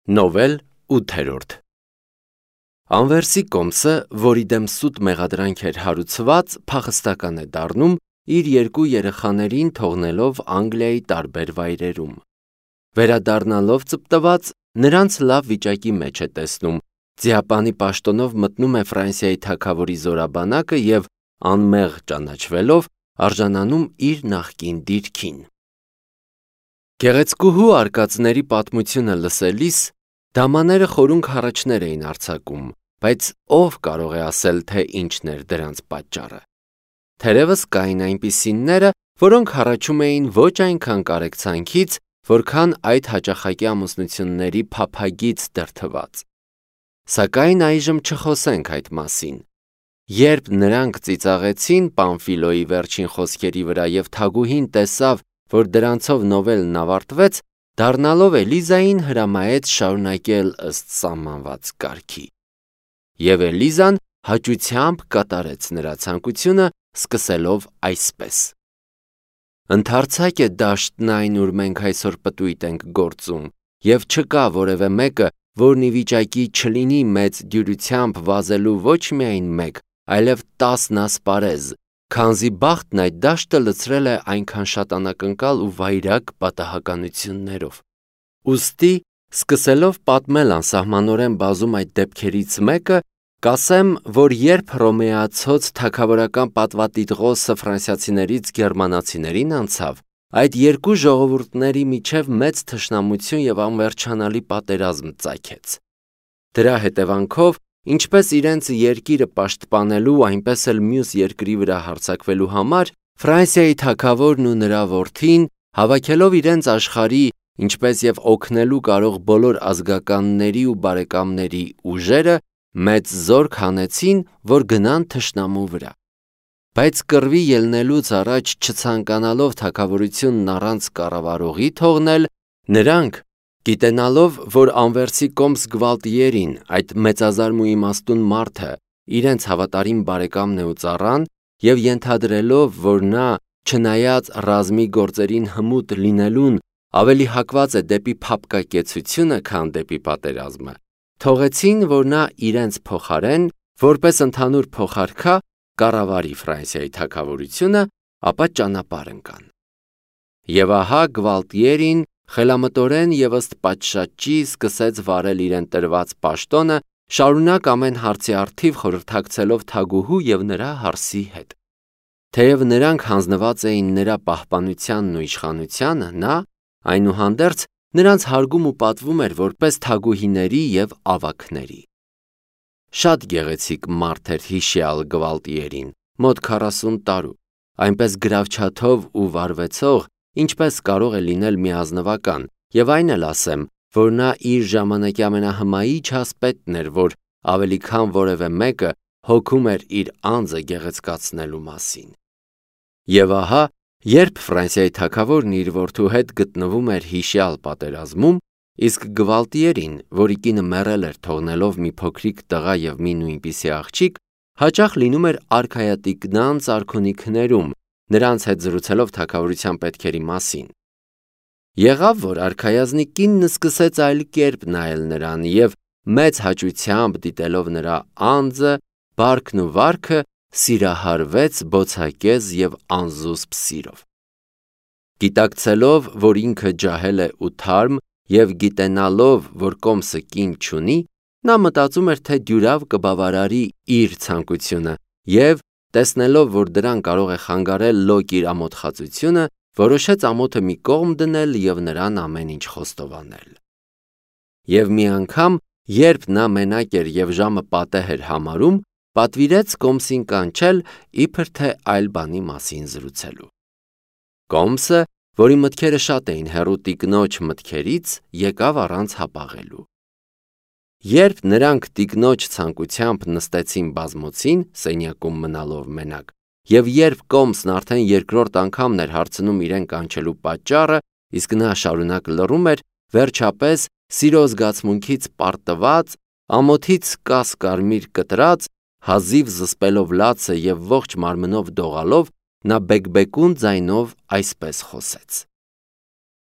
Նովել 8-րդ Անվերսի կոմսը, որի դեմ սուտ մեղադրանք էր հարուցված, փախստական է դառնում, իր երկու երեխաներին թողնելով Անգլիայի տարբեր վայրերում։ Վերադառնալով ծպտված, նրանց լավ վիճակի մեջ է տեսնում, ձիապանի պաշտոնով մտնում է Ֆրանսիայի թագավորի զորաբանակը և անմեղ ճանաչվելով արժանանում իր նախկին դիրքին։ Գեղեցկուհու արկածների պատմությունը լսելիս դամաները խորուն քարոջներ էին արձակում, բայց ով կարող է ասել, թե ինչն էր դրանց պատճառը։ Թերևս կային այնպիսիները, որոնք հառաչում էին ոչ այնքան կարեկցանքից, որքան այդ հաճախակի ամուսնությունների փափագից դրդված։ Սակայն այժմ չխոսենք այդ մասին։ Երբ նրանք ծիծաղեցին Պամֆիլոյի վերջին խոսքերի վրա և թագուհին տեսավ, որ դրանցով նովելն ավարտվեց, դառնալով Էլիզային հրամայեց շարունակել ըստ սահմանված կարգի։ Եվ Էլիզան հաճությամբ կատարեց նրա ցանկությունը, սկսելով այսպես. Ընդարձակ է դաշտն այն, ուր մենք այսօր պտույտ ենք գործում, և չկա որևէ մեկը, որն ի վիճակի չլինի մեծ դյուրությամբ վազելու ոչ միայն մեկ, այլև 10 ասպարեզ, քանզի բախտն այդ դաշտը լցրել է այնքան շատ անակնկալ ու վայրագ պատահականություններով։ Ուստի, սկսելով պատմել անսահմանորեն բազում այդ դեպքերից մեկը, կասեմ, որ երբ հռոմեացած թագավորական պատվատիտղոսը ֆրանսիացիներից գերմանացիներին անցավ, այդ երկու ժողովուրդների միջև մեծ թշնամություն և անվերջանալի պատերազմ ծագեց։ Դրա հետևանքով, ինչպես իրենց երկիրը պաշտպանելու, այնպես էլ մյուս երկրի վրա հարձակվելու համար, Ֆրանսիայի թագավորն ու նրա որդին, հավաքելով իրենց աշխարհի, ինչպես և օգնելու կարող բոլոր ազգականների ու բարեկամների ուժերը, մեծ զորք հանեցին, որ գնան թշնամու վրա։ Բայց կռվի ելնելուց առաջ չցանկանալով թագավորությունն առանց կառավարողի թողնել, նրանք, գիտենալով, որ Անվերսի կոմս Գվալտիերին, այդ մեծազարմ ու իմաստուն մարդը, իրենց հավատարիմ բարեկամն է ու ծառան, և ենթադրելով, որ նա, չնայած ռազմի գործերին հմուտ լինելուն, ավելի հակված է դեպի փափկակեցությունը, քան դեպի պատերազմը, թողեցին, որ նա իրենց փոխարեն, որպես ընդհանուր փոխարքա, կառավարի Ֆրանսիայի թագավորությունը, ապա ճանապարհ ընկան։ Եվ ահա Գվալտիերին խելամտորեն և ըստ պատշաճի սկսեց վարել իրեն տրված պաշտոնը, շարունակ ամեն հարցի առթիվ խորհրդակցելով թագուհու և նրա հարսի հետ։ Թեև նրանք հանձնված էին նրա պահպանությանն ու իշխանությանը, նա, այնուհանդերձ, նրանց հարգում ու պատվում էր որպես թագուհիների և ավագների։ Շատ գեղեցիկ մարդ էր հիշյալ Գվալտիերին, մոտ 40 տարու, այնպես գրավչաթով ու վարվեցող, ինչպես կարող է լինել մի ազնվական, և այն էլ ասեմ, որ նա իր ժամանակի ամենահմայիչ ասպետն էր, որ ավելի քան որևէ մեկը հոգում էր իր անձը գեղեցկացնելու մասին։ Եվ ահա, երբ Ֆրանսիայի թագավորն իր որդու հետ գտնվում էր հիշյալ պատերազմում, իսկ Գվալտիերին, որի կինը մեռել էր թողնելով մի փոքրիկ տղա և մի նույնպիսի աղջիկ, հաճախ լինում էր արքայատիկնանց արքունիքներում, նրանց հետ զրուցելով թագավորության պետքերի մասին։ Եղավ, որ արքայազնի կինն սկսեց այլ կերպ նայել նրան և մեծ հաճույքությամբ դիտելով նրա անձը, բարքն ու վարքը, սիրահարվեց բոցակեզ և անզուսպ սիրով։ Գիտակցելով, որ ինքը ջահել է ու թարմ և գիտենալով, որ կոմսը կին չունի, նա մտածում էր, թե դյուրավ կբավարարի իր ցանկությունը և, տեսնելով, որ դրան կարող է խանգարել լոկ իր ամոթխածությունը, որոշեց ամոթը մի կողմ դնել և նրան ամեն ինչ խոստովանել։ Եվ մի անգամ, երբ նա մենակ էր և ժամը պատեհ էր համարում, պատվիրեց կոմսին կանչել, իբր թե այլ բանի մասին զրուցելու։ Կոմսը, որի մտքերը շատ էին հեռու տիկնոջ մտքերից, եկավ առանց հապաղելու։ Երբ նրանք տիկնոջ ցանկությամբ նստեցին բազմոցին, սենյակում մնալով մենակ, և երբ կոմսն արդեն երկրորդ անգամն էր հարցնում իրեն կանչելու պատճառը, իսկ նա շարունակ լռում էր, վերջապես, սիրո զգացմունքից պարտված, ամոթից կաս-կարմիր կտրած, հազիվ զսպելով լացը և ողջ մարմնով դողալով, նա բեկբեկուն ձայնով այսպես խոսեց.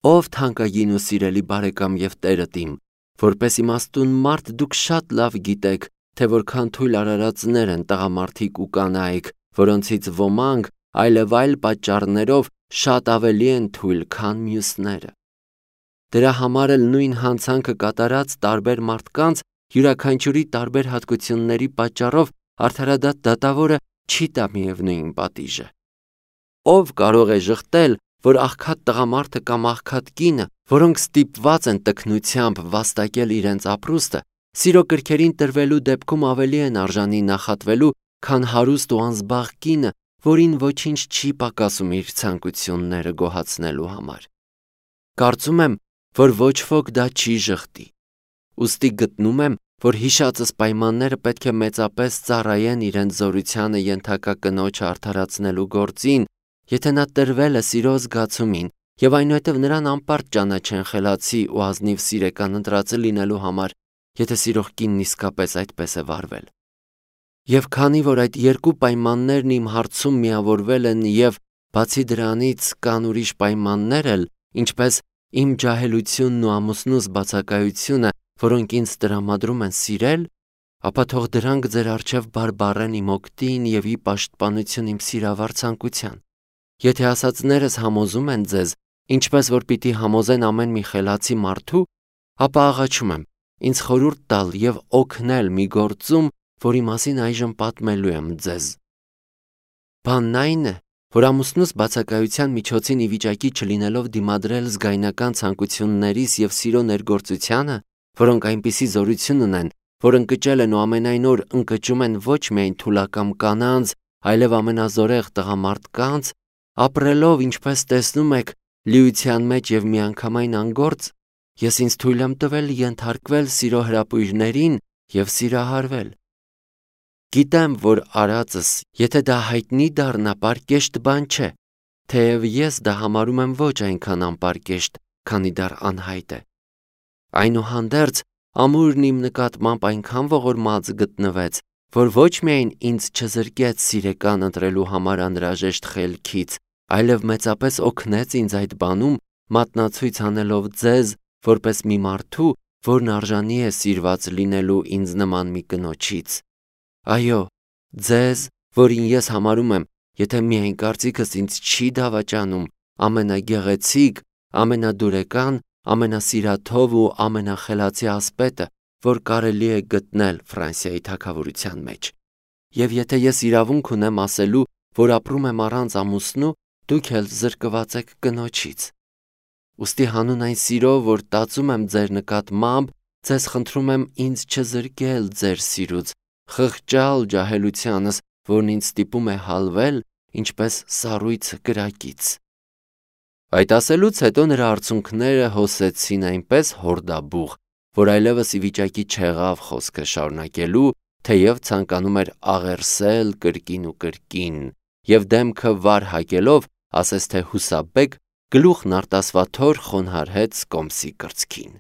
«Ով թանկագին ու սիրելի բարեկամ և տերդ իմ, Որպես իմաստուն մարդ դուք շատ լավ գիտեք, թե որքան թույլ արարածներ են տղամարդիկ ու կանայք, որոնցից ոմանք այլև այլ պատճառներով շատ ավելի են թույլ, քան մյուսները։ Դրա համար էլ նույն հանցանքը կատարած տարբեր մարդկանց յուրաքանչյուրի տարբեր հատկությունների պատճառով արդարադատ դատավորը չի տա միևնույն պատիժը։ Ով կարող է ժխտել, որ աղքատ տղամարդը կամ աղքատ կինը, որոնք ստիպված են տքնությամբ վաստակել իրենց ապրուստը, սիրո կրքերին տրվելու դեպքում ավելի են արժանի նախատվելու, քան հարուստ ու անզբաղ կինը, որին ոչինչ չի պակասում իր ցանկությունները գոհացնելու համար։ Կարծում եմ, որ ոչ ոք դա չի ժխտի։ Ուստի գտնում եմ, որ հիշածս պայմանները պետք է մեծապես ծառայեն իրենց զորությանը ենթակա կնոջը արդարացնելու գործին, եթե նա տրվել է սիրո զգացումին եւ այնուհետև նրան անպարտ ճանաչեն խելացի ու ազնիվ սիրեկան ընտրածը լինելու համար, եթե սիրող կինն իսկապես այդպես է վարվել։ Եվ քանի որ այդ երկու պայմաններն իմ հարցում միավորվել են եւ բացի դրանից կան ուրիշ պայմաններ էլ, ինչպես իմ ջահելությունն ու ամուսնուս բացակայությունը, որոնք ինձ տրամադրում են սիրել, ապա թող դրանք ձեր առջև բարբառեն իմ օգտին եւ ի պաշտպանություն իմ սիրավար ցանկության։ Եթե ասածներս համոզում են ձեզ, ինչպես որ պիտի համոզեն ամեն մի խելացի մարդու, ապա աղաչում եմ ինձ խորհուրդ տալ եւ օգնել մի գործում, որի մասին այժմ պատմելու եմ ձեզ։ Բանն այն է, որ ամուսնուս բացակայության միջոցին ի վիճակի չլինելով դիմադրել զգայնական ցանկություններիս եւ սիրո ներգործությանը, որոնք այնպիսի զորություն ունեն, որ ընկճել են ու ամենայն օր ընկճում են ոչ միայն թուլակամ կանանց, այլև ամենազորեղ տղամարդկանց, ապրելով, ինչպես տեսնում եք, լիության մեջ եւ միանգամայն անգործ, ես ինձ թույլ եմ տվել ենթարկվել սիրո հրապույրներին եւ սիրահարվել։ Գիտեմ, որ արածս, եթե դա հայտնի դառնա, պարկեշտ բան չէ, թեև ես դա համարում եմ ոչ այնքան անպարկեշտ, քանի դեռ անհայտ է։ Այնուհանդերձ, ամուրն իմ նկատմամբ այնքան ողորմած գտնվեց, որ ոչ միայն ինձ չզրկեց սիրեկան ընտրելու համար անհրաժեշտ խելքից, այլև մեծապես օգնեց ինձ այդ բանում, մատնացույց անելով ձեզ, որպես մի մարդու, որն արժանի է սիրված լինելու ինձ նման մի կնոջից։ Այո, ձեզ, որին ես համարում եմ, եթե միայն կարծիքս ինձ չի դավաճանում, ամենագեղեցիկ, ամենադուրեկան, ամենասիրաթով ու ամենախելացի ասպետը, որ կարելի է գտնել Ֆրանսիայի թագավորության մեջ։ Եվ եթե ես իրավունք ունեմ ասելու, որ ապրում եմ առանց ամուսնու, դուք էլ զրկված եք կնոջից։ Ուստի հանուն այն սիրո, որ տածում եմ ձեր նկատմամբ, ձեզ խնդրում եմ ինձ չզրկել ձեր սիրուց, խղճալ ջահելությանս, որն ինձ ստիպում է հալվել, ինչպես սառույցը կրակից։ Այդ ասելուց հետո նրա արցունքները հոսեցին այնպես հորդաբուխ, որ այլևս ի վիճակի չեղավ խոսքը շարունակելու, թեև ցանկանում էր աղերսել կրկին ու կրկին, եւ դեմքը վար հակելով, ասես թե հուսաբեկ, գլուխն արտասվաթոր խոնհարհեց Կոմսի կրծքին։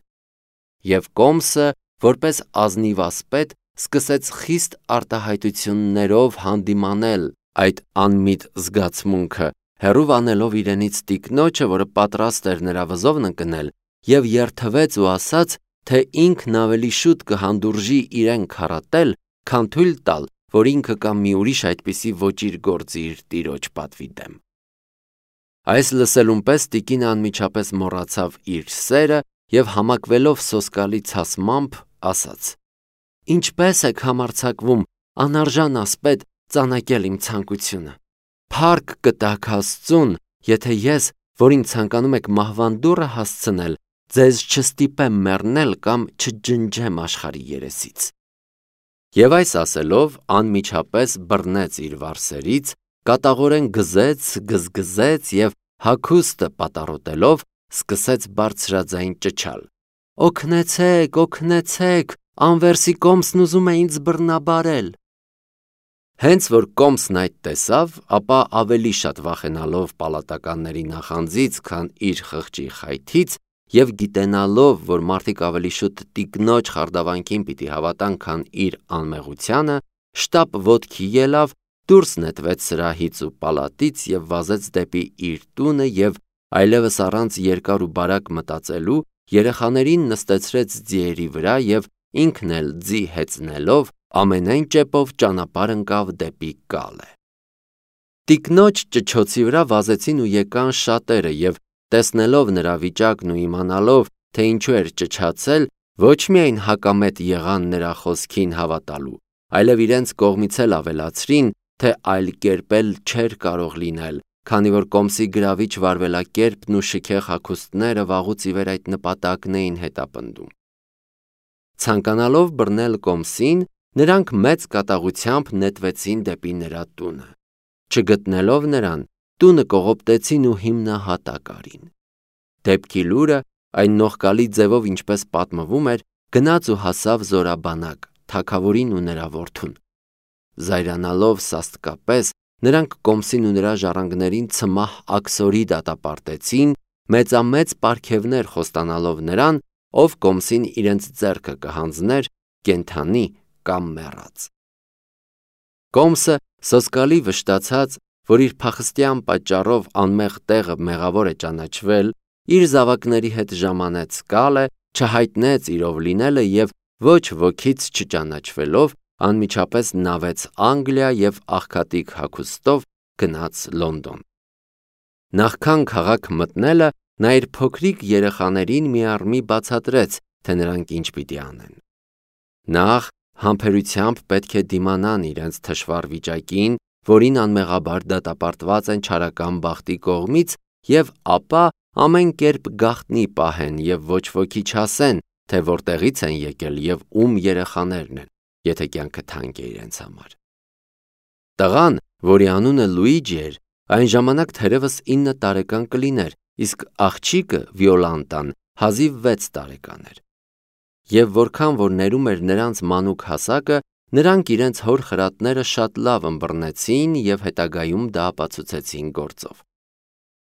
Եվ Կոմսը, որպես ազնիվ ասպետ, սկսեց խիստ արտահայտություններով հանդիմանել այդ անմիտ զգացմունքը, հեռու անելով իրենից տիկնոջը, որը պատրաստ էր նրա վզովն ընկնել, եւ երթվեց ու ասաց, թե ինքն ավելի շուտ կհանդուրժի իրեն քարատել, քան թույլ տալ, որ ինքը կամ մի ուրիշ այդպիսի ոճիր գործի իր տիրոջ պատվի դեմ։ Այս լսելուն պես տիկինը անմիջապես մոռացավ իր սերը եւ համակվելով սոսկալի ցասմամբ ասաց. Ինչպես եք համարձակվում, անարժան ասպետ, ծանակել իմ ցանկությունը։ Փառք կտաք Աստծուն, եթե ես, որին ցանկանում եք մահվան դուռը հասցնել, ձեզ չստիպեմ մեռնել կամ չջնջեմ աշխարհի երեսից։ Եվ այս ասելով անմիջապես բռնեց իր վարսերից, կատաղորեն գզեց, գզգզեց եւ հագուստը պատառոտելով սկսեց բարձրաձայն ճչալ. Օգնեցեք, օգնեցեք, անվերսի Կոմսն ուզում է ինձ բռնաբարել։ Հենց որ Կոմսն այդ տեսավ, ապա ավելի շատ վախենալով պալատականների նախանձից, քան իր խղճի խայթից, եւ գիտենալով, որ մարդիկ ավելի շուտ տիկնոջ խարդավանքին պիտի հավատան, քան իր անմեղությանը, շտապ ոտքի ելավ, դուրս նետվեց սրահից ու պալատից եւ վազեց դեպի իր տունը եւ այլևս առանց երկար ու բարակ մտածելու երեխաներին նստեցրեց ձիերի վրա և ինքն էլ ձի հեծնելով ամենայն ճեպով ճանապարհ ընկավ դեպի կալե։ Տիկնոջ ճչոցի վրա վազեցին ու եկան շատերը և տեսնելով նրա վիճակն ու իմանալով, թե ինչու էր ճչացել, ոչ միայն հակամետ եղան նրա խոսքին հավատալու, այլև իրենց կողմից էլ ավելացրին, թե այլ կերպ էլ չէր կարող լինել, քանի որ Կոմսի գրավիչ վարվելակերպն ու շքեղ հագուստները վաղուց ի վեր այդ նպատակն էին հետապնդում։ Ցանկանալով բռնել Կոմսին, նրանք մեծ կատաղությամբ նետվեցին դեպի նրա տունը։ Չգտնելով նրան, տունը կողոպտեցին ու հիմնահատակ արին։ Դեպքի լուրը, այն նողկալի ձևով ինչպես պատմվում էր, գնաց ու հասավ զորաբանակ, թագավորին ու նրա որդուն։ Զայրանալով սաստկապես, նրանք Կոմսին ու նրա ժառանգներին ցմահ աքսորի դատապարտեցին, մեծամեծ պարգևներ խոստանալով նրան, ով Կոմսին իրենց ձեռքը կհանձներ, կենդանի կամ մեռած։ Կոմսը սոսկալի վշտացած, որ իր փախստյան պատճառով անմեղ տեղը մեղավոր է ճանաչվել, իր զավակների հետ ժամանեց կալը, չհայտնեց իրով լինելը և ոչ ոքից չճանաչվելով, անմիջապես նավեց Անգլիա և աղքատիկ հագուստով գնաց Լոնդոն։ Նախքան քաղաք մտնելը, նա իր փոքրիկ երեխաներին մի առ մի բացատրեց, թե նրանք ինչ պիտի անեն։ Նախ համբերությամբ պետք է դիմանան իրենց թշվառ վիճակին, որին անմեղաբար դատապարտված են չարական բախտի կողմից, և ապա ամեն կերպ գաղտնի պահեն և ոչ ոքի չասեն, թե որտեղից են եկել և ում երեխաներն են, եթե կյանքը թանկ է իրենց համար։ Տղան, որի անունը Լուիջի էր, այն ժամանակ թերևս 9 տարեկան կլիներ, իսկ աղջիկը Վիոլանտան հազիվ 6 տարեկան էր։ Եվ որքան որ ներում էր նրանց մանուկ հասակը, նրանք իրենց հոր խրատները շատ լավ ըմբռնեցին և հետագայում դա ապացուցեցին գործով։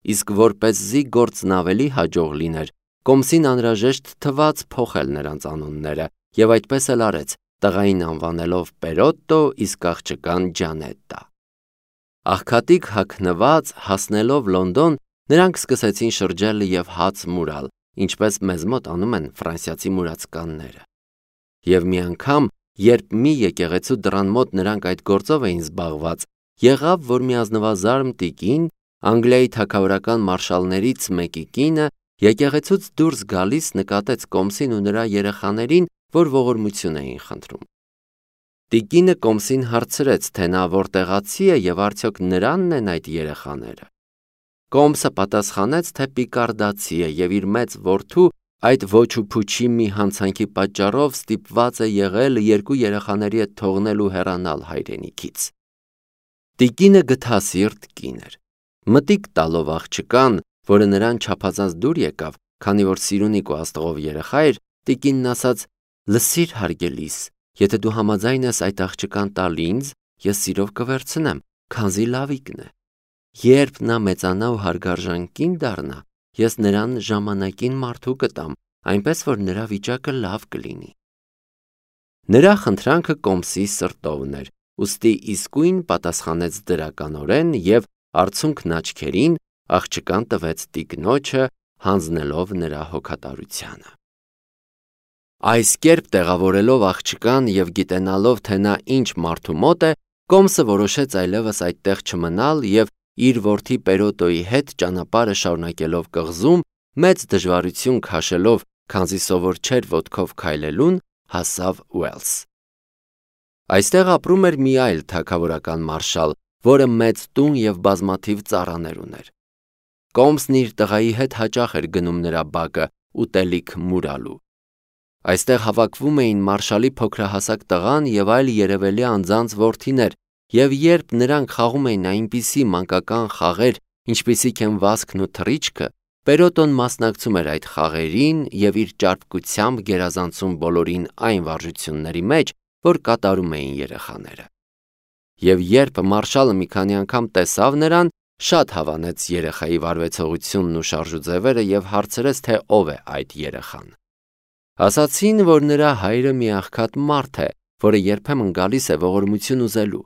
Իսկ որպեսզի գործն ավելի հաջող լիներ, Կոմսին անհրաժեշտ թվաց փոխել նրանց անունները և այդպես էլ արեց, տղային անվանելով Պերոտտո, իսկ աղջկան Ջանետտա։ Աղքատիկ հագնված հասնելով Լոնդոն, նրանք սկսեցին շրջել և հաց մուրալ, ինչպես մեզ մոտ անում են ֆրանսիացի մուրացկանները։ Եվ մի անգամ, երբ մի եկեղեցու դռան մոտ նրանք այդ գործով էին զբաղված, եղավ, որ մի ազնվազարմ տիկին, Անգլիայի թագավորական մարշալներից մեկի կինը, եկեղեցուց դուրս գալիս նկատեց Կոմսին ու նրա երեխաներին, որ ողորմություն էին խնդրում։ Տիկինը Կոմսին հարցրեց, թե նա որտեղացի է և արդյոք նրանն են այդ երեխաները։ Կոմսը պատասխանեց, թե պիկարդացի է և իր մեծ որդու այդ ոչ ու փուչի մի հանցանքի պատճառով ստիպված է եղել 2 երեխաների հետ թողնել ու հեռանալ հայրենիքից։ Տիկինը գթասիրտ կին էր։ Մտիկ տալով աղջկան, որը նրան չափազանց դուր եկավ, քանի որ սիրունիկ ու աստղով երեխա էր, տիկինն ասաց. «Լսիր, հարգելիս, եթե դու համաձայն ես այդ աղջկան տալ ինձ, ես սիրով կվերցնեմ, քանզի լավիկն է։ Երբ նա մեծանա ու հարգարժան կին դառնա, ես նրան ժամանակին մարդու կտամ, այնպես որ նրա վիճակը լավ կլինի»։ Նրա խնդրանքը Կոմսի սրտովն էր, ուստի իսկույն պատասխանեց դրականորեն և արցունքն աչքերին աղջկան տվեց տիկնոջը, հանձնելով նրա հոգատարությանը։ Այս կերպ տեղավորելով աղջկան և գիտենալով, թե նա ինչ մարդու մոտ է, Կոմսը որոշեց այլևս այդտեղ չմնալ և իր որդի Պերոտոյի հետ ճանապարհը շարունակելով կղզում, մեծ դժվարություն քաշելով, քանզի սովոր չէր ոտքով քայլելուն, հասավ Ուելս։ Այստեղ ապրում էր մի այլ թագավորական մարշալ, որը մեծ տուն և բազմաթիվ ծառաներ ուներ։ Կոմսն իր տղայի հետ հաճախ էր գնում նրա բակը ուտելիք մուրալու։ Այստեղ հավաքվում էին մարշալի փոքրահասակ տղան և այլ երևելի անձանց որդիներ, և երբ նրանք խաղում էին այնպիսի մանկական խաղեր, ինչպիսիք են վազքն ու թռիչքը, Պերոտոն մասնակցում էր այդ խաղերին և իր ճարպկությամբ գերազանցում բոլորին այն վարժությունների մեջ, որ կատարում էին երեխաները։ Եվ երբ մարշալը մի քանի անգամ տեսավ նրան, շատ հավանեց երեխայի վարվեցողությունն ու շարժուձևերը և հարցրեց, թե ով է այդ երեխան։ Ասացին, որ նրա հայրը մի աղքատ մարդ է, որը երբեմն գալիս է ողորմություն ուզելու։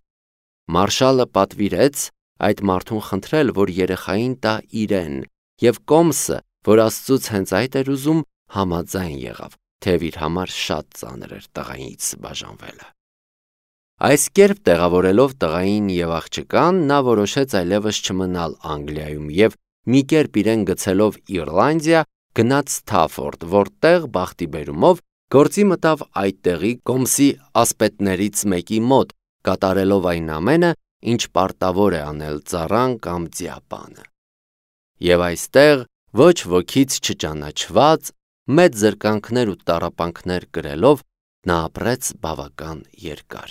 Մարշալը պատվիրեց այդ մարդուն խնդրել, որ երեխային տա իրեն, և Կոմսը, որ Աստծուց հենց այդ էր ուզում, համաձայն եղավ, թեև իր համար շատ ծանր էր տղայից բաժանվելը։ Այս կերպ տեղավորելով տղային և աղջկան, նա որոշեց այլևս չմնալ Անգլիայում և մի կերպ իրեն գցելով Իռլանդիա, գնաց Սթաֆորդ, որտեղ բախտի բերումով գործի մտավ այդտեղի կոմսի ասպետներից մեկի մոտ, կատարելով այն ամենը, ինչ պարտավոր է անել ծառան կամ ձիապանը։ Եվ այստեղ ոչ ոքից չճանաչված, մեծ զրկանքներ ու տառապանքներ կրելով, նա ապրեց բավական երկար։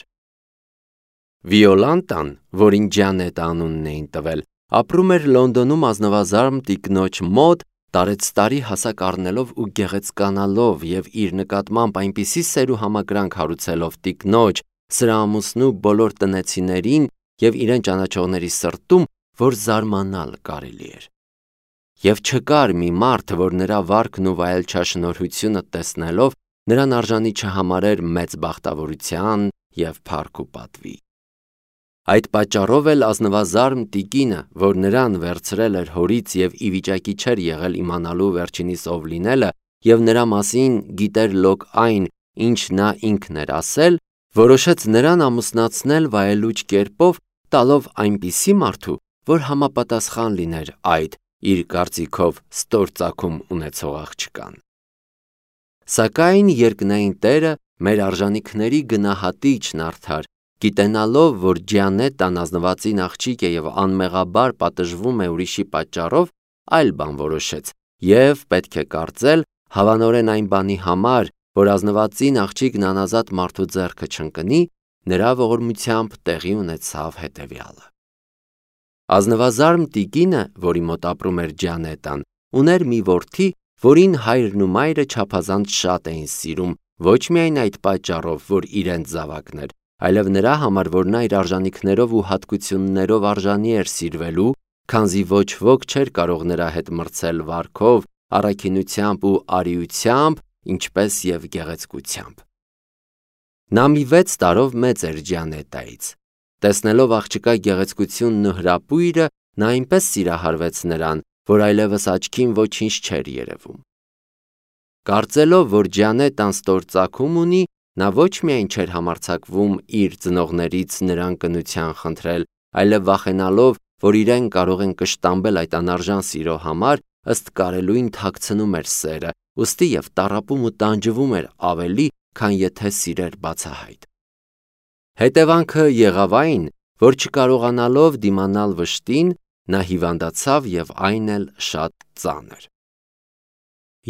Վիոլանտան, որին Ջանետ անունն էին տվել, ապրում էր Լոնդոնում ազնվազարմ տիկնոջ մոտ, տարեցտարի հասակ առնելով ու գեղեցկանալով և իր նկատմամբ այնպիսի սեր ու համակրանք հարուցելով տիկնոջ, սրա ամուսնու բոլոր տնեցիներին և իրեն ճանաչողների սրտում, որ զարմանալ կարելի էր։ Եվ չկար մի մարդ, որ նրա վարքն ու վայելչաշնորհությունը տեսնելով, նրան արժանի չհամարեր մեծ բախտավորության և փառք ու պատվի։ Այդ պատճառով էլ ազնվազարմ տիկինը, որ նրան վերցրել էր հորից և ի վիճակի չէր եղել իմանալու վերջինիս ով լինելը և նրա մասին գիտեր լոկ այն, ինչ նա ինքն էր ասել, որոշեց նրան ամուսնացնել վայելուչ կերպով, տալով այնպիսի մարդու, որ համապատասխան լիներ այդ, իր կարծիքով, ստոր ծագում ունեցող աղջկան։ Սակայն երկնային Տերը մեր արժանիքների գնահատիչն արդար, գիտենալով, որ Ջանետան ազնվածին աղջիկ է և անմեղաբար պատժվում է ուրիշի պատճառով, այլ բան որոշեց և պետք է կարծել հավանորեն այն բանի համար, որ ազնվածին աղջիկն անազատ մարդու ձեռքը չընկնի, նրա ողորմությամբ տեղի ունեցավ հետևյալը։ Ազնվազարմ տիկինը, որի մոտ ապրում էր Ջանետան, ուներ մի որդի, որին հայրն ու մայրը չափազանց շատ էին սիրում, ոչ միայն այդ պատճառով, որ իրենց զավակն էր, այլև նրա համար, որ նա իր արժանիքներով ու հատկություններով արժանի էր սիրվելու, քանզի ոչ ոք չէր կարող նրա հետ մրցել վարքով, առաքինությամբ ու արիությամբ, ինչպես և գեղեցկությամբ։ Նա մի 6 տարով մեծ էր Ջանետայից։ Տեսնելով աղջկա գեղեցկությունն ու հրապույրը, նա այնպես սիրահարվեց նրան, որ այլևս աչքին ոչինչ չէր երևում։ Կարծելով, որ Ջանետան ստոր ծագում ունի, նա ոչ միայն չէր համարձակվում իր ծնողներից նրան կնության խնդրել, այլև վախենալով, որ իրեն կարող են կշտամբել այդ անարժան սիրո համար, ըստ կարելույն թաքցնում էր սերը, ուստի և տառապում ու տանջվում էր ավելի, քան եթե սիրեր բացահայտ։ Հետևանքը եղավ այն, որ չկարողանալով դիմանալ վշտին, նա հիվանդացավ և այն էլ շատ ծանր։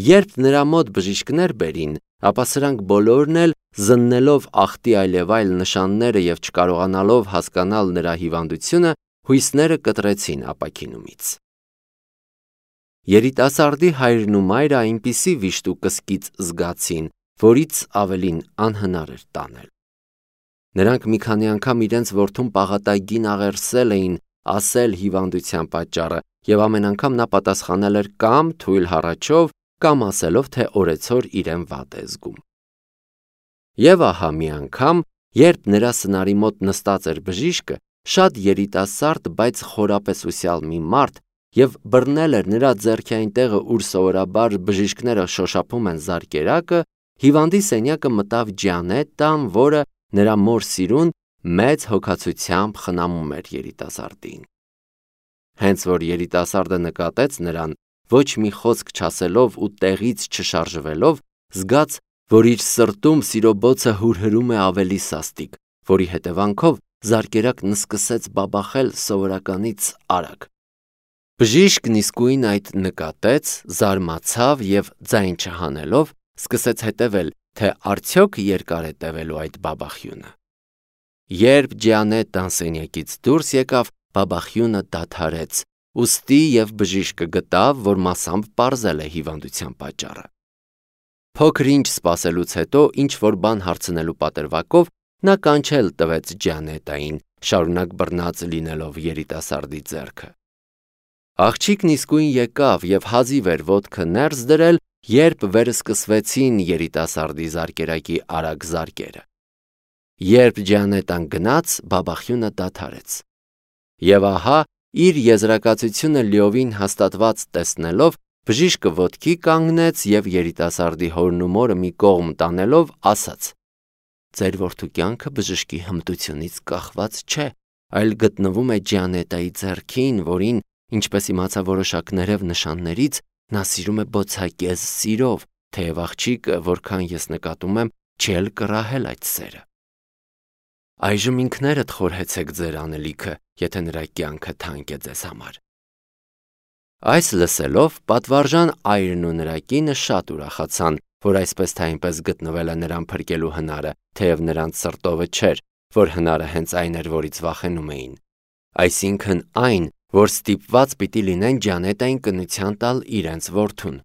Երբ նրա մոտ բժիշկներ բերին, ապա սրանք բոլորն էլ, զննելով ախտի այլևայլ նշանները և չկարողանալով հասկանալ նրա հիվանդությունը, հույսները կտրեցին ապաքինումից։ Երիտասարդի հայրն ու մայրը այնպիսի վիշտ ու կսկիծ զգացին, որից ավելին անհնար էր տանել։ Նրանք մի քանի անգամ իրենց որդուն պաղատագին աղերսել էին, ասել հիվանդության պատճառը, և ամեն անգամ նա պատասխանել էր կամ թույլ հառաչով, կամ ասելով, թե օրեցօր իրեն վատ է զգում։ Եվ ահա մի անգամ, երբ նրա սնարի մոտ նստած էր բժիշկը, շատ երիտասարդ, բայց խորապես ուսյալ մի մարդ, և բռնել էր նրա ձեռքի այն տեղը, ուր սովորաբար բժիշկները շոշափում են զարկերակը, հիվանդի սենյակը մտավ Ջանետան, որը նրա մոր սիրուն մեծ հոգացությամբ խնամում էր երիտասարդին։ Հենց որ երիտասարդը նկատեց նրան, ոչ մի խոսք չասելով ու տեղից չշարժվելով, զգաց, որ իր սրտում սիրո բոցը հուրհրում է ավելի սաստիկ, որի հետևանքով զարկերակն սկսեց բաբախել սովորականից արագ։ Բժիշկն իսկույն այդ նկատեց, զարմացավ և ձայն չհանելով, սկսեց հետևել, թե արդյոք երկար է տևելու այդ բաբախյունը։ Երբ Ջանետան սենյակից դուրս եկավ, բաբախյունը դադարեց, ուստի և բժիշկը գտավ, որ մասամբ պարզել է հիվանդության պատճառը։ Փոքր ինչ սպասելուց հետո, ինչ-որ բան հարցնելու պատրվակով, նա կանչել տվեց Ջանետային, շարունակ բռնած լինելով երիտասարդի ձեռքը։ Աղջիկն իսկույն եկավ և հազիվ էր ոտքը ներս դրել, երբ վերսկսվեցին երիտասարդի զարկերակի արագ զարկերը։ Երբ Ջանետան գնաց, բաբախյունը դադարեց։ Եվ ահա, իր եզրակացությունը լիովին հաստատված տեսնելով, Բժիշկը ոտքի կանգնեց և երիտասարդի հորն ու մորը մի կողմ տանելով ասաց. «Ձեր որդու կյանքը բժշկի հմտությունից կախված չէ, այլ գտնվում է Ջիանետայի ձեռքին, որին, ինչպես իմացա որոշակներև նշաններից, նա սիրում է բոցակեզ սիրով, թեև աղջիկը, որքան ես նկատում եմ, չի էլ կռահել այդ սերը։ Այժմ ինքներդ խորհեցեք ձեր անելիքը, եթե նրա կյանքը թանկ է ձեզ համար»։ Այս լսելով պատվարժան այրն ու նրա կինը շատ ուրախացան, որ այսպես թե այնպես գտնվել է նրան փրկելու հնարը, թեև նրանց սրտովը չէր, որ հնարը հենց այն էր, որից վախենում էին, այսինքն այն, որ ստիպված պիտի լինեն Ջանետային կնության տալ իրենց որդուն։